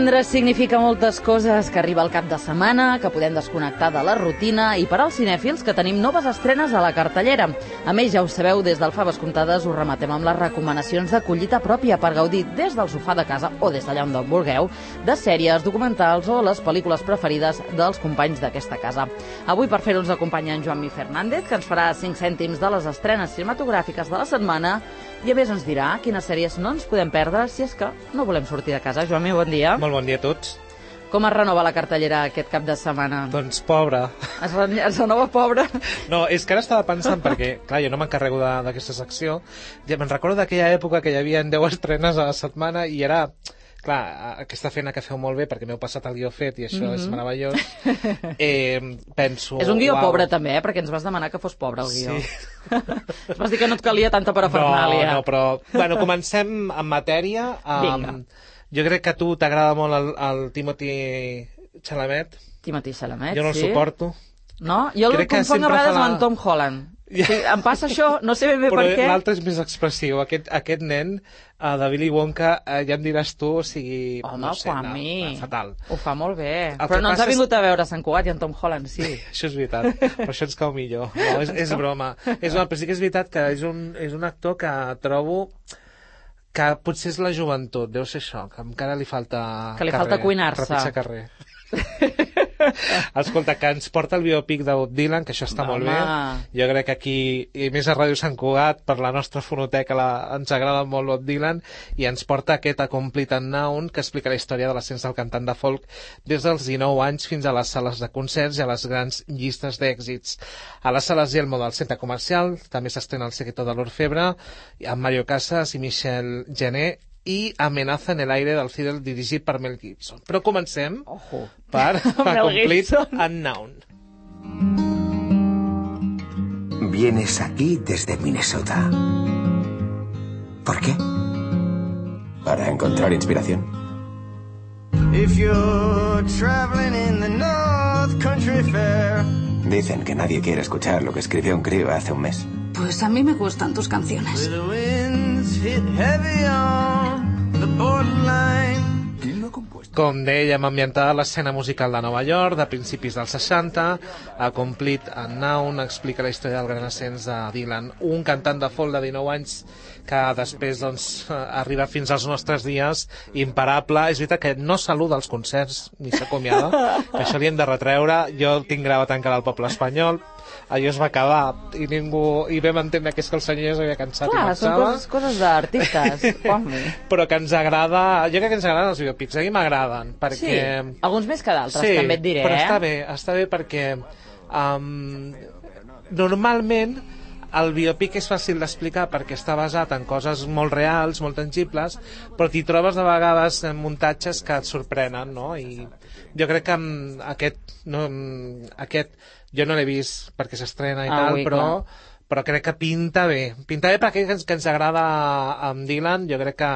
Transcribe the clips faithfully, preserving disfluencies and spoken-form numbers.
Divendres significa moltes coses, que arriba el cap de setmana, que podem desconnectar de la rutina i per als cinèfils que tenim noves estrenes a la cartellera. A més, ja ho sabeu, des del Faves Comptades us rematem amb les recomanacions de collita pròpia per gaudir des del sofà de casa o des d'allà on vulgueu, de sèries, documentals o les pel·lícules preferides dels companys d'aquesta casa. Avui per fer-ho ens acompanya en Joan Mi Fernández, que ens farà cinc cèntims de les estrenes cinematogràfiques de la setmana i a més ens dirà quines sèries no ens podem perdre si és que no volem sortir de casa. Joan Mi, bon dia. Molt bon dia a tots. Com es renova la cartellera aquest cap de setmana? Doncs pobra. Es, re es renova pobra? No, és que ara estava pensant, perquè, clar, jo no m'encarrego d'aquesta secció, ja me'n recordo d'aquella època que hi havia deu estrenes a la setmana i era... Clar, aquesta feina que feu molt bé, perquè m'heu passat el guió fet i això mm-hmm. és meravellós, eh, penso... És un guió uau. pobre també, eh? Perquè ens vas demanar que fos pobre el guió. Sí. Ens vas dir que no et calia tanta parafernàlia. No, no, però... Bueno, comencem en matèria. Um, jo crec que a tu t'agrada molt el, el Timothy Chalamet. Timothy Chalamet, jo no el sí. suporto. No? Jo el confonc a vegades la... amb en Tom Holland. Ja. Sí, em passa això, no sé ben bé però per què. L'altre és més expressiu. Aquest, aquest nen uh, de Willy Wonka, uh, ja em diràs tu, o sigui... Home, no sé, no, mi. fatal. Ho fa molt bé. El però no ens ha vingut és... a veure Sant Cugat i en Tom Holland, sí. Això és veritat, per això ens cau millor. No, és, és broma. És broma. Però sí que és veritat que és un, és un actor que trobo que potser és la joventut, deu ser això, que encara li falta que li carrer, falta cuinar-se. Repitjar carrer. Escolta, que ens porta el biòpic de Bob Dylan, que això està Home. molt bé. Jo crec que aquí, i més a Ràdio Sant Cugat, per la nostra fonoteca la, ens agrada molt Bob Dylan, i ens porta aquest A Complete Unknown, que explica la història de l'ascens del cantant de folk des dels dinou anys fins a les sales de concerts i a les grans llistes d'èxits. A les sales Yelmo del centre comercial també s'estrena El secreto de l'Orfebre, amb Mario Casas i Michel Genet, i Amenaza en el aire del Fidel, dirigit per Mel Gibson. Però comencem Ojo. per A Complete Unknown. Vienes aquí desde Minnesota. ¿Por qué? Para encontrar inspiración. If you're traveling in the North Country Fair. Dicen que nadie quiere escuchar lo que escribió un crío hace un mes. Pues a mí me gustan tus canciones. Com dèiem, ambientada a l'escena musical de Nova York, de principis dels seixanta, A Complete Unknown explica la història del gran ascens de Dylan, un cantant de folk de dinou anys que després doncs, arriba fins als nostres dies imparable. És veritat que no saluda als concerts ni s'acomiada, que això li hem de retreure. Jo el tinc gravat encara al Poble Espanyol. Allò es va acabar i ningú i vam entendre que és que el senyor ja s'havia cansat. Clar, i marxava. són coses, coses d'artistes. Però que ens agrada, jo crec que ens agraden els biopics, a mi m'agraden perquè... Sí, alguns més que d'altres, sí, també et diré. Però eh? està bé, està bé perquè um, normalment el biopic és fàcil d'explicar perquè està basat en coses molt reals, molt tangibles, però t'hi trobes de vegades en muntatges que et sorprenen, no? I jo crec que aquest, no, aquest jo no l'he vist perquè s'estrena i ah, tal, ui, però, clar. però crec que pinta bé. Pinta bé perquè que ens, que ens agrada amb Dylan, jo crec que,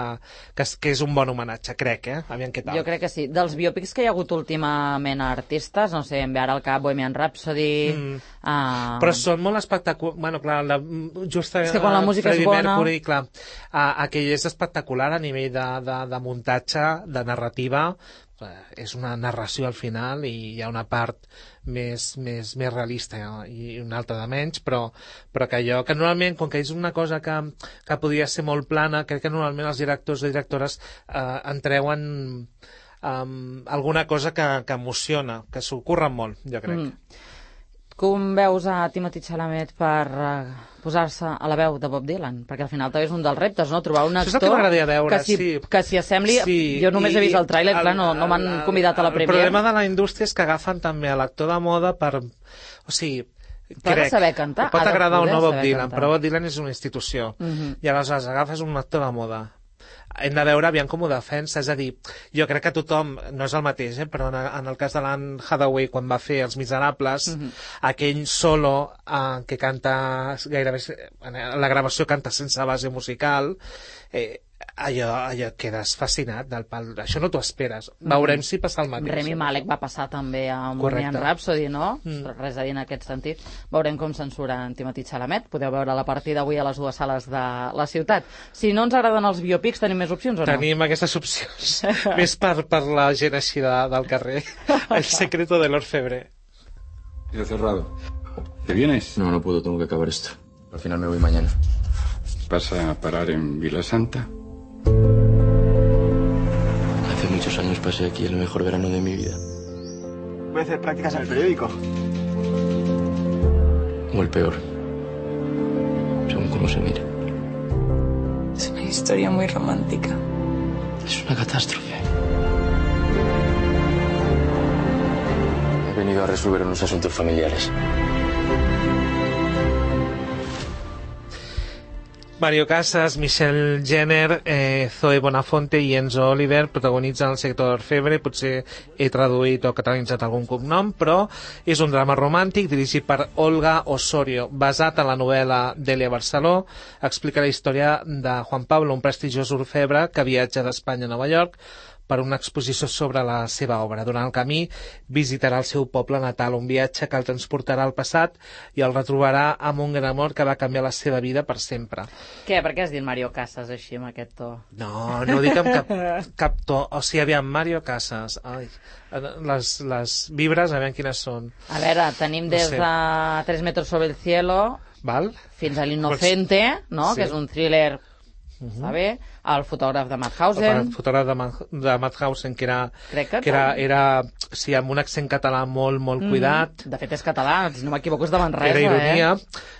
que, és, que és un bon homenatge, crec, eh? Aviam què tal. Jo crec que sí. Dels biòpics que hi ha hagut últimament a artistes, no sé, em ve ara al cap Bohemian Rhapsody... Mm. Uh... Però són molt espectaculars. Bueno, clar, la, just és que quan la música Freddie és bona... Mercury, clar, uh, aquell és espectacular a nivell de, de, de muntatge, de narrativa. És una narració al final i hi ha una part més, més, més realista i una altra de menys, però, però que allò que normalment, com que és una cosa que, que podria ser molt plana, crec que normalment els directors i directores eh, en treuen um, alguna cosa que, que emociona, que s'ho curren molt, jo crec. Mm. Com veus a Timothy Chalamet per uh, posar-se a la veu de Bob Dylan? Perquè al final també és un dels reptes, no? Trobar un actor que, veure, que s'hi sí. que s'hi assembli. Sí. Jo només he vist el tràiler, clar, no, no m'han convidat a la premiere. El problema de la indústria és que agafen també a l'actor de moda per... O sigui, però crec, saber cantar. pot agradar o no Bob Dylan, cantar. però Bob Dylan és una institució. Uh -huh. I aleshores agafes un actor de moda. Hem de veure aviam com ho defensa, és a dir, jo crec que tothom, no és el mateix, eh, però en, en el cas de l'Anne Hathaway, quan va fer Els Miserables, uh -huh. aquell solo eh, que canta gairebé, la gravació canta sense base musical, eh, allò, allò quedes fascinat del pal. Això no t'ho esperes. Veurem mm. si passa el mateix. Rami Malek va passar també a Bohemian Rhapsody, no? Mm. Res a dir en aquest sentit. Veurem com censura en Timothy Chalamet. Podeu veure la partida avui a les dues sales de la ciutat. Si no ens agraden els biopics, tenim més opcions o no? Tenim aquestes opcions. Més per, per la gent així de, del carrer. El secreto de l'orfebre. He cerrado. ¿Te vienes? No, no puedo, tengo que acabar esto. Al final me voy mañana. ¿Vas a parar en Vila Santa? Hace muchos años pasé aquí el mejor verano de mi vida. Voy a hacer prácticas en el periódico. O el peor. Según cómo se mire. Es una historia muy romántica. Es una catástrofe. He venido a resolver unos asuntos familiares. Mario Casas, Michelle Jenner, eh, Zoe Bonafonte i Enzo Oliver protagonitzen el sector d'Orfebre. Potser he traduït o catalanitzat algun cognom, però és un drama romàntic dirigit per Olga Osorio, basat en la novel·la d'Elia Barceló. Explica la història de Juan Pablo, un prestigiós orfebre que viatja d'Espanya a Nova York per una exposició sobre la seva obra. Durant el camí visitarà el seu poble natal, un viatge que el transportarà al passat i el retrobarà amb un gran amor que va canviar la seva vida per sempre. Què? Per què has dit Mario Casas així, amb aquest to? No, no ho dic amb cap, cap to. O sigui, aviam, Mario Casas. Ai, les, les vibres, aviam quines són. A veure, tenim des no sé. de Tres metros sobre el cielo Val? fins a L'Inocente, no? Sí. Que és un thriller, uh -huh. està bé, el fotògraf de Madhausen. El fotògraf de, Ma de Madhausen, que era, que que era, era sí, amb un accent català molt, molt cuidat. Mm, de fet és català, si no m'equivoco és de Manresa. Era ironia, eh?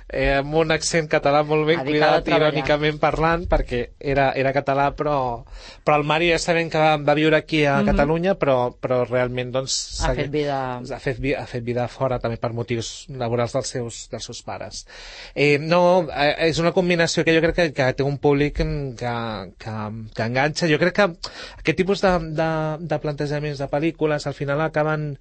eh, amb un accent català molt ben cuidat, irònicament parlant, perquè era, era català, però, però el Mario ja sabem que va, va viure aquí a mm -hmm. Catalunya, però, però realment doncs, ha, fet vida... ha, fet, ha fet vida fora, també per motius laborals dels seus, dels seus pares. Eh, no, eh, és una combinació que jo crec que, que té un públic que, que, que enganxa. Jo crec que aquest tipus de, de, de plantejaments de pel·lícules al final acaben,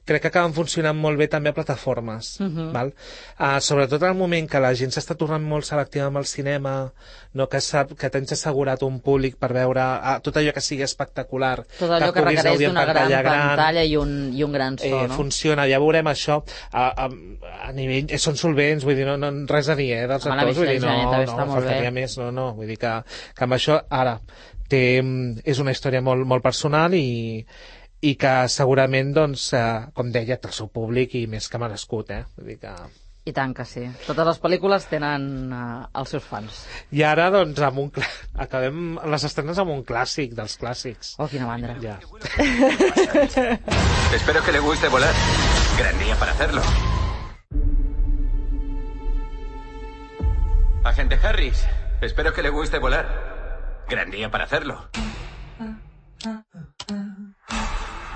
crec que acaben funcionant molt bé també a plataformes. Uh-huh. Val? Uh, sobretot en el moment que la gent s'està tornant molt selectiva amb el cinema, no, que, sap, que tens assegurat un públic per veure uh, tot allò que sigui espectacular, tot allò que, que requereix d'una gran pantalla i un, i un gran so, eh, no? Funciona, ja veurem això a, a, a nivell, eh, són solvents, vull dir, no, no res a dir, eh, dels actors, vull dir, no, no, no faltaria més, no, no, vull dir que, que amb això, ara, té, és una història molt, molt personal i, i que segurament, doncs, eh, com deia, té el seu públic i més que merescut, eh? Vull dir que... I tant que sí. Totes les pel·lícules tenen uh, els seus fans. I ara, doncs, amb un cl... acabem les estrenes amb un clàssic dels clàssics. Oh, quina mandra. Ja. Espero que le guste volar. Gran día para hacerlo. Agente Harris, espero que le guste volar. Gran día para hacerlo.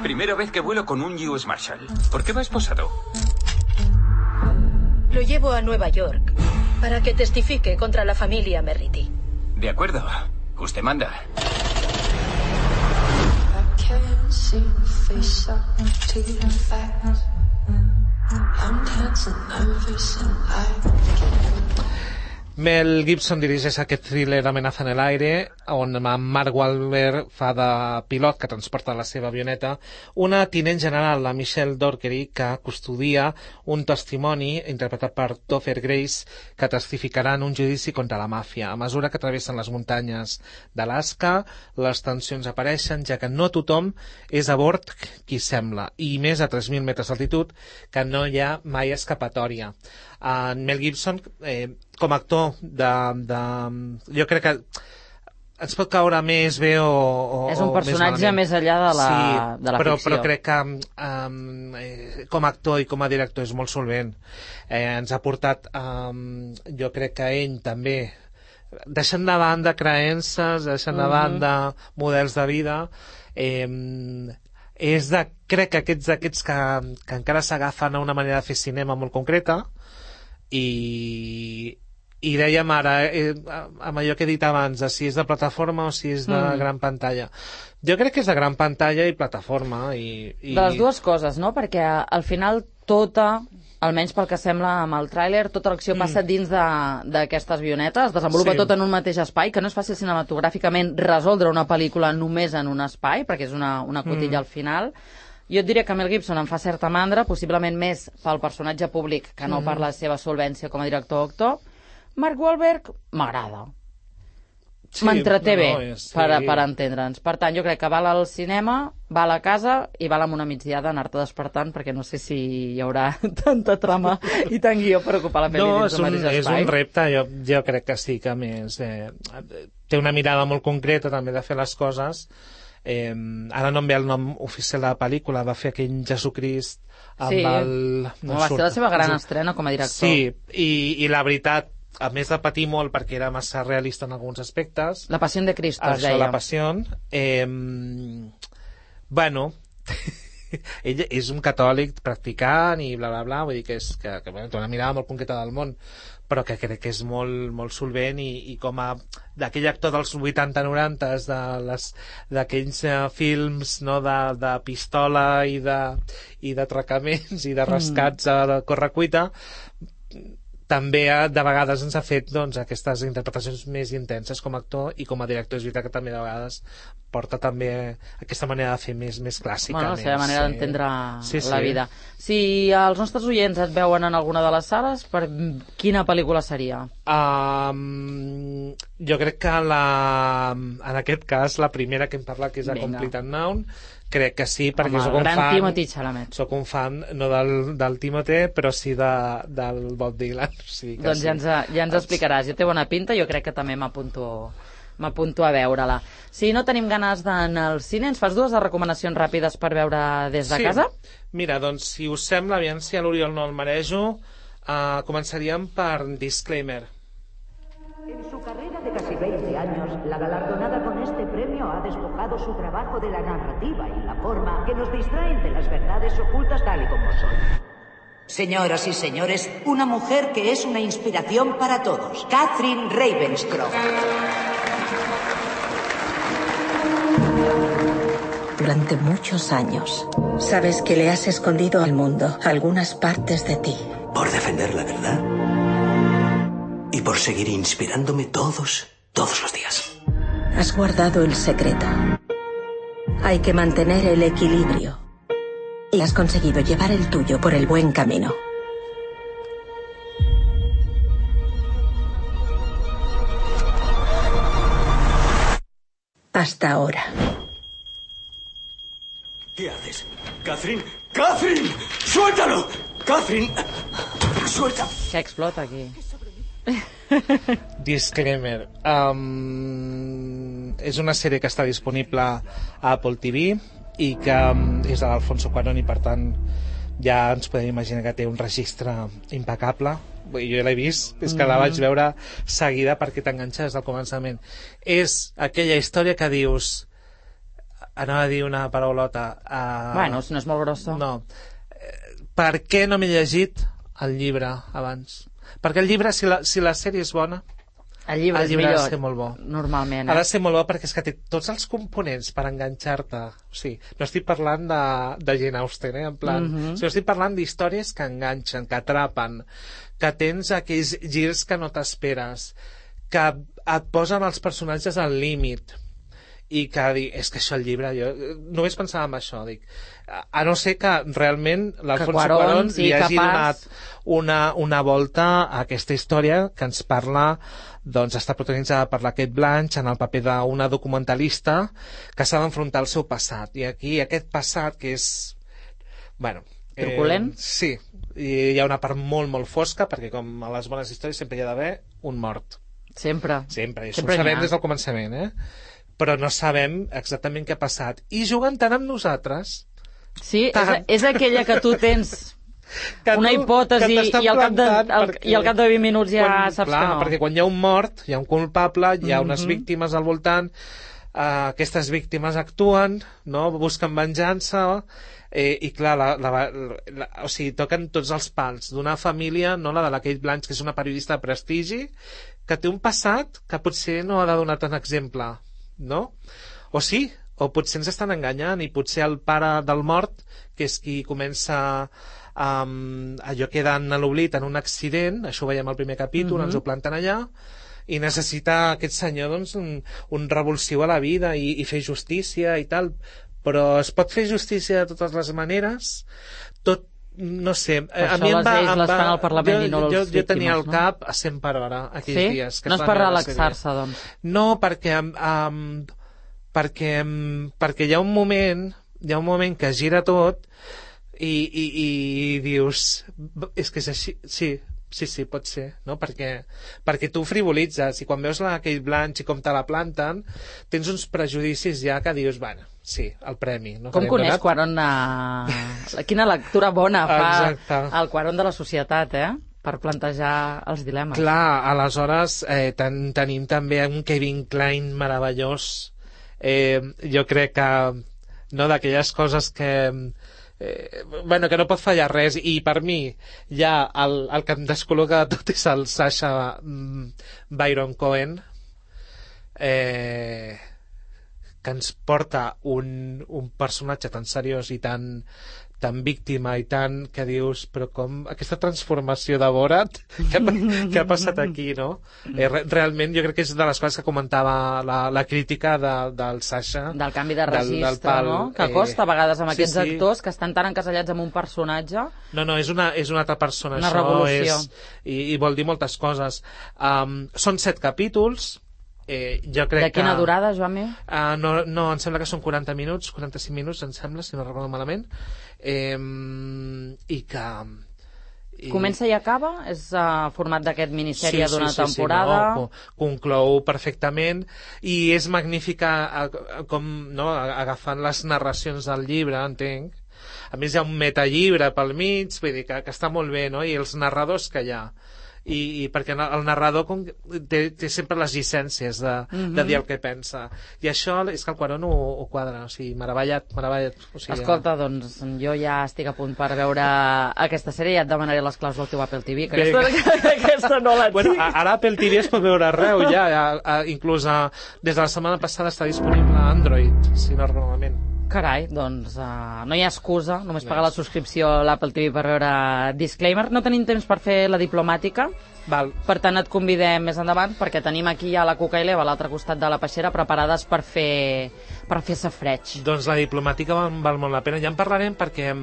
Primera vez que vuelo con un U S Marshal. ¿Por qué va esposado? Lo llevo a Nueva York para que testifique contra la familia Merrity. De acuerdo. Usted manda. Mel Gibson dirigeix aquest thriller Amenaza en el aire, on Mark Wahlberg fa de pilot que transporta la seva avioneta una tinent general, la Michelle Dockery, que custodia un testimoni interpretat per Topher Grace que testificarà en un judici contra la màfia. A mesura que travessen les muntanyes d'Alaska, les tensions apareixen, ja que no tothom és a bord qui sembla, i més a tres mil metres d'altitud, que no hi ha mai escapatòria. En Mel Gibson, eh, com a actor de, de... jo crec que ens pot caure més bé o, o és un personatge més, més enllà de la, sí, de la però, ficció. Però crec que um, eh, com a actor i com a director és molt solvent. Eh, ens ha portat, um, jo crec que ell també, deixant de banda creences, deixant de banda mm-hmm. models de vida, eh, és de, crec que aquests, aquests que, que encara s'agafen a una manera de fer cinema molt concreta, i, i dèiem ara, eh, amb allò que he dit abans, si és de plataforma o si és de mm. gran pantalla. Jo crec que és de gran pantalla i plataforma. I, i... De les dues coses, no? Perquè al final tota, almenys pel que sembla amb el tràiler, tota l'acció mm. passa dins d'aquestes avionetes, es desenvolupa sí. tot en un mateix espai, que no és fàcil cinematogràficament resoldre una pel·lícula només en un espai, perquè és una, una cotilla mm. al final. Jo et diria que Mel Gibson em fa certa mandra, possiblement més pel personatge públic que no mm. per la seva solvència com a director o actor. Mark Wahlberg m'agrada. sí, m'entreté bé, no, és, sí. per, per entendre'ns. Per tant, jo crec que val al cinema, val a casa i val amb una migdiada anar-te despertant, perquè no sé si hi haurà tanta trama i tant guió per ocupar la pel·li no, dins del mateix espai. No, és un repte, jo, jo crec que sí, que a més eh, té una mirada molt concreta també de fer les coses. Eh, ara no em ve el nom oficial de la pel·lícula, va fer aquell Jesucrist amb sí. el... No va surt. ser la seva gran estrena com a director. Sí, i, i la veritat, a més de patir molt perquè era massa realista en alguns aspectes. La Passió de Cristo, es deia. deia. La Passió. Eh, bueno, ell és un catòlic practicant i bla, bla, bla, vull dir que és que, que bueno, té una mirada molt concreta del món, però que crec que és molt, molt solvent i, i com a d'aquell actor dels vuitanta noranta d'aquells uh, films no, de, de pistola i de, i d'atracaments i de rescats mm. a correcuita, també de vegades ens ha fet doncs, aquestes interpretacions més intenses com a actor i com a director. És veritat que també de vegades porta també aquesta manera de fer més, més clàssica. Bueno, la seva més, manera d'entendre sí, la sí. vida. Si els nostres oients et veuen en alguna de les sales, per quina pel·lícula seria? Um, jo crec que la, en aquest cas la primera que em parla, que és A Complete Unknown, crec que sí, perquè Home, soc un fan Timothy Chalamet. soc un fan no del, del Timothée, però sí de, del Bob Dylan. Sí, doncs sí. ja ens, ja ens explicaràs. Jo té bona pinta, jo crec que també m'apunto m'apunto a veure-la. Si no tenim ganes d'anar al cine, ens fas dues recomanacions ràpides per veure des de sí. casa? Mira, doncs si us sembla, aviam si a l'Oriol no el marejo, uh, començaríem per Disclaimer. En su carrera de casi veinte años, la galardonada con este premio ha despojado su trabajo de la narrativa y la forma que nos distraen de las verdades ocultas tal y como son. Señoras y señores, una mujer que es una inspiración para todos, Catherine Ravenscroft. Durante muchos años, sabes que le has escondido al mundo algunas partes de ti. Por defender la verdad. Y por seguir inspirándome todos, todos los días. Has guardado el secreto. Hay que mantener el equilibrio. Y has conseguido llevar el tuyo por el buen camino. Hasta ahora. ¿Qué haces? ¡Catherine! ¡Catherine! ¡Suéltalo! ¡Catherine! ¡Suelta! Que explota aquí. Disclaimer. Um, és una sèrie que està disponible a Apple T V i que um, és de l'Alfonso Cuarón i per tant ja ens podem imaginar que té un registre impecable. Jo l'he vist, és que la vaig veure seguida perquè t'enganxa des del començament. És aquella història que dius, anava a dir una paraulota, uh, bueno, si no és molt grossa, no, per què no m'he llegit el llibre abans? Perquè el llibre, si la, si la sèrie és bona, el llibre, el llibre és millor, ha de ser molt bo. Normalment, eh? Ha de ser molt bo perquè és que té tots els components per enganxar-te. O sigui, no estic parlant de, de Jane Austen, eh? En plan, mm -hmm. o sigui, estic parlant d'històries que enganxen, que atrapen, que tens aquells girs que no t'esperes, que et posen els personatges al límit i que dic, és que això el llibre, jo només pensava en això, dic, a no ser que realment l'Alfonso Cuarón sí, li hagi capaç... donat una, una volta a aquesta història que ens parla, doncs està protagonitzada per la Cate Blanchett en el paper d'una documentalista que s'ha d'enfrontar al seu passat, i aquí aquest passat que és, bueno, truculent? Eh, sí, i hi ha una part molt molt fosca perquè com a les bones històries sempre hi ha d'haver un mort. Sempre. Sempre, i això sempre ho sabem des del començament, eh? Però no sabem exactament què ha passat. I juguen tant amb nosaltres... Sí, és, és aquella que tu tens que una tu, hipòtesi i al, cap de, el, i al cap de vint minuts ja quan, saps clar, que no. Perquè quan hi ha un mort, hi ha un culpable, hi ha mm-hmm. unes víctimes al voltant, uh, aquestes víctimes actuen, no? Busquen venjança, eh, i clar, la, la, la, o sigui, toquen tots els pals d'una família, no? La de la Cate Blanchett, que és una periodista de prestigi, que té un passat que potser no ha de donar tant exemple, no? O sí, o potser ens estan enganyant i potser el pare del mort, que és qui comença um, allò quedant a l'oblit en un accident, això ho veiem al primer capítol, mm-hmm. ens ho planten allà, i necessita aquest senyor doncs, un, un revulsiu a la vida i, i fer justícia i tal, però es pot fer justícia de totes les maneres, tot no sé, Per a això mi em les va... lleis em les va- fan al Parlament jo, i no les jo, jo víctimes, tenia el no? cap a cent per hora aquells Sí? dies. Que No es és van per veure la sèrie. relaxar-se, doncs. No, perquè, um, perquè, um, perquè hi ha un moment, hi ha un moment que gira tot i, i, i dius, és que és així, sí, sí, sí, pot ser, no? Perquè, perquè tu frivolitzes i quan veus la Kate Blanchett i com te la planten, tens uns prejudicis ja que dius, bueno, sí, el premi. No? Com coneix Cuarón a... Quina lectura bona fa Exacte. el Cuarón de la societat, eh? Per plantejar els dilemes. Clar, aleshores eh, ten, tenim també un Kevin Kline meravellós. Eh, jo crec que no, d'aquelles coses que eh, bueno, que no pot fallar res, i per mi ja el, el que em descol·loca de tot és el Sacha mm, Baron Cohen, eh, que ens porta un, un personatge tan seriós i tan tan víctima i tant que dius, però com aquesta transformació de Borat, què ha, què ha passat aquí, no? Eh, re, realment jo crec que és de les coses que comentava la, la crítica de, del Sacha. Del canvi de registre, del, del pal, no? Que costa a vegades amb sí, aquests sí. actors que estan tan encasellats amb un personatge. No, no, és una, és una altra persona. Una això revolució. És, i, I vol dir moltes coses. Um, són set capítols. Eh, jo crec de quina que, durada, Joan-Mi? Uh, no, no, em sembla que són quaranta minuts, quaranta-cinc minuts, em sembla, si no recordo malament. Eh, I que... I... Comença i acaba? És uh, format d'aquest minissèrie sí, d'una sí, sí, temporada? Sí, no, conclou perfectament i és magnífica com, no, agafant les narracions del llibre, entenc. A més hi ha un metalllibre pel mig, vull dir que, que està molt bé, no? I els narradors que hi ha. I, i perquè el narrador com, té, té sempre les llicències de, mm-hmm. de dir el que pensa, i això és que el Cuarón ho, ho quadra, o sigui, meravellat, meravellat. O sigui, escolta, doncs jo ja estic a punt per veure aquesta sèrie i ja et demanaré les claus del teu Apple T V, que aquesta, que aquesta no la tinc. Bueno, ara Apple T V es pot veure arreu ja, ja, ja inclús a, des de la setmana passada està disponible a Android, si no recordo malament. Carai, doncs uh, no hi ha excusa, només pagar la subscripció a l'Apple T V per veure Disclaimer. No tenim temps per fer la diplomàtica, Val. Per tant et convidem més endavant perquè tenim aquí ja la Cuca i l'Eva a l'altre costat de la peixera preparades per fer per fer safreig. Doncs la diplomàtica val, val molt la pena, ja en parlarem perquè,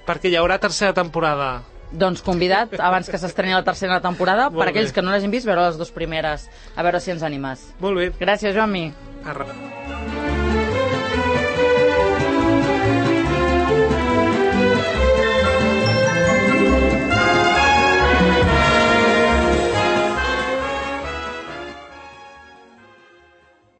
perquè hi haurà tercera temporada. Doncs convidat, abans que s'estreni la tercera temporada, molt per aquells bé. que no l'hagin vist, veure les dues primeres, a veure si ens animes. Molt bé. Gràcies, Joan-Mi. Arre.